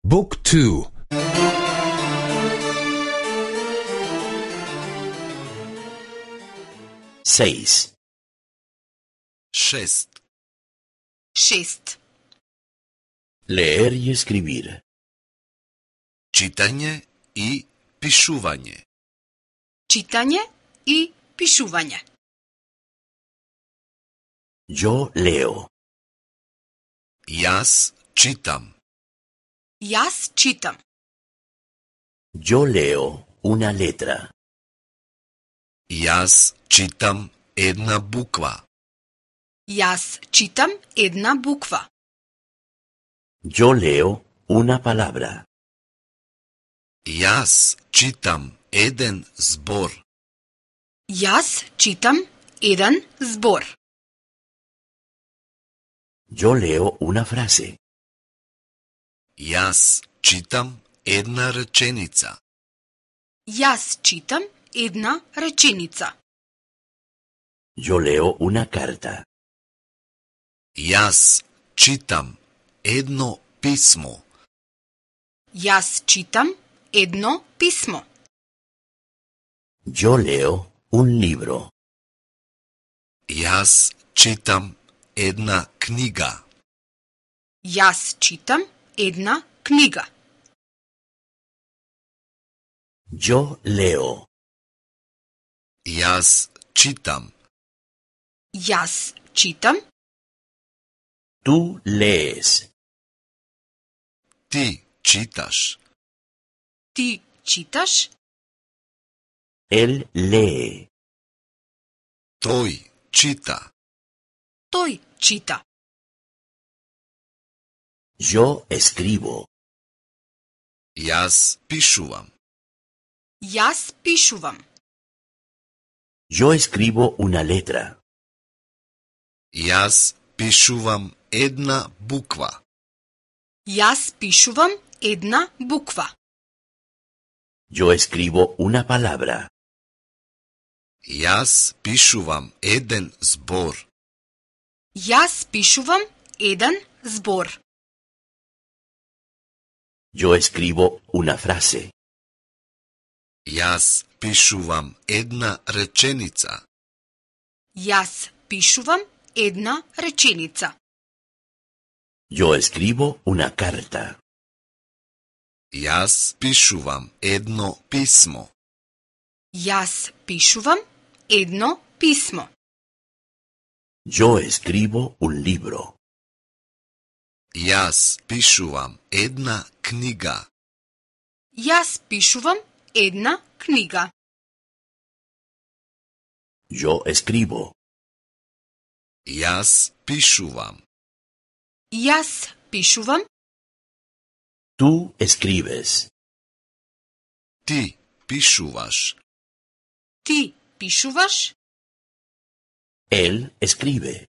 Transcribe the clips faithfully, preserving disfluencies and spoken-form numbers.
Book two. Seis. Šest. Šest. Leer y escribir. Čitanje i pišuvanje. Čitanje i pišuvanje. Yo leo. Jaz čitam. Jaz čitam. Yo leo una letra. Jaz čitam една буква. Jaz čitam една буква. Yo leo una palabra. Jaz čitam еден збор. Jaz čitam jedan zbor. Yo leo una frase. Jaz čitam една реченица. Jaz čitam една rečenica. Yo leo una carta. Jaz čitam едно писмо. Jaz čitam едно pismo. Yo leo un libro. Jaz čitam една книга. Jaz čitam една книга. Yo leo. Jaz čitam. Jaz čitam. Tú lees. Ti čitaš. Ti čitaš. Él lee. Той чита. Той čita. Yo escribo. Jaz pišuvam. Jaz pišuvam. Yo escribo una letra. Jaz pišuvam една буква. Jaz pišuvam една буква. Yo escribo una palabra. Jaz pišuvam еден збор. Jaz pišuvam jedan zbor. Yo escribo una frase. Jaz pišuvam една реченица. Jaz pišuvam една rečenica. Yo escribo una carta. Jaz pišuvam едно писмо. Jaz pišuvam едно pismo. Yo escribo un libro. Jaz pišuvam една книга. Jaz pišuvam една книга. Yo escribo. Jaz pišuvam. Jaz pišuvam. Tú escribes. Ti pišuvaš. Ti pišuvaš. Él escribe.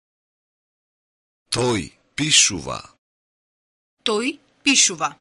Той pišuva. Той пишува.